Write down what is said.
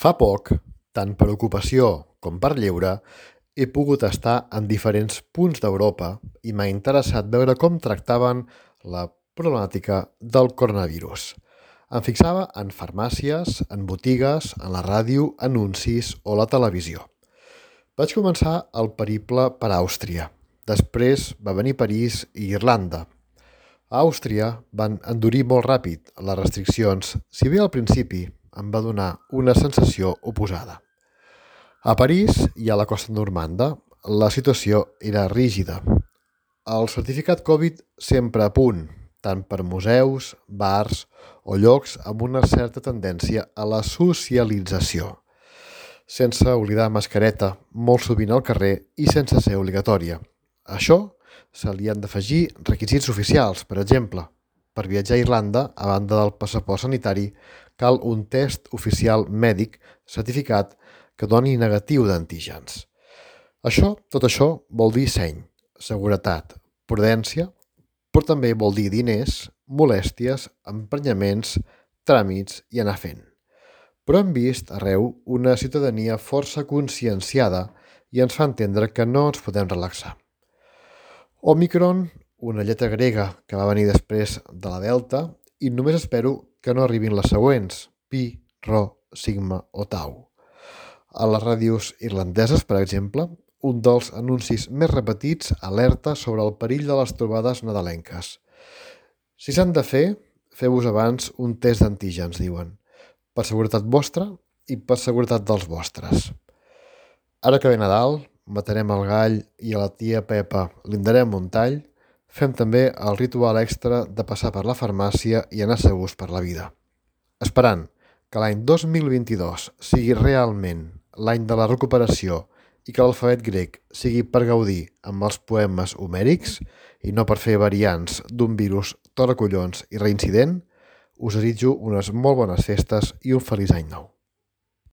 Fa poc, tant per ocupació com per lleure, he pogut estar en diferents punts d'Europa i m'ha interessat veure com tractaven la problemàtica del coronavirus. Em fixava en farmàcies, en botigues, en la ràdio, anuncis o la televisió. Vaig començar el periple per Àustria. Després va venir París i Irlanda. A Àustria van endurir molt ràpid les restriccions, si bé al principi em va donar una sensació oposada. A París i a la costa normanda la situació era rígida. El certificat Covid sempre a punt, tant per museus, bars o llocs amb una certa tendència a la socialització, sense oblidar mascareta molt sovint al carrer i sense ser obligatòria. A això se li han d'afegir requisits oficials, per exemple. Per viatjar a Irlanda, a banda del passaport sanitari, cal un test oficial mèdic certificat que doni negatiu d'antígens. Tot això vol dir seny, seguretat, prudència, però també vol dir diners, molèsties, emprenyaments, tràmits i anar fent. Però hem vist arreu una ciutadania força conscienciada i ens fa entendre que no ens podem relaxar. Òmicron, una lletra grega que va venir després de la Delta, i només espero que no arribin les següents, Pi, Rho, Sigma o Tau. A les ràdios irlandeses, per exemple, un dels anuncis més repetits alerta sobre el perill de les trobades nadalenques. Si s'han de fer, feu-vos abans un test d'antígens, diuen, per seguretat vostra i per seguretat dels vostres. Ara que ve Nadal, matarem el gall i a la tia Pepa li darem un tall, fem també el ritual extra de passar per la farmàcia i anar segurs per la vida. Esperant que l'any 2022 sigui realment l'any de la recuperació i que l'alfabet grec sigui per gaudir amb els poemes homèrics i no per fer variants d'un virus toracollons i reincident, us desitjo unes molt bones festes i un feliç any nou.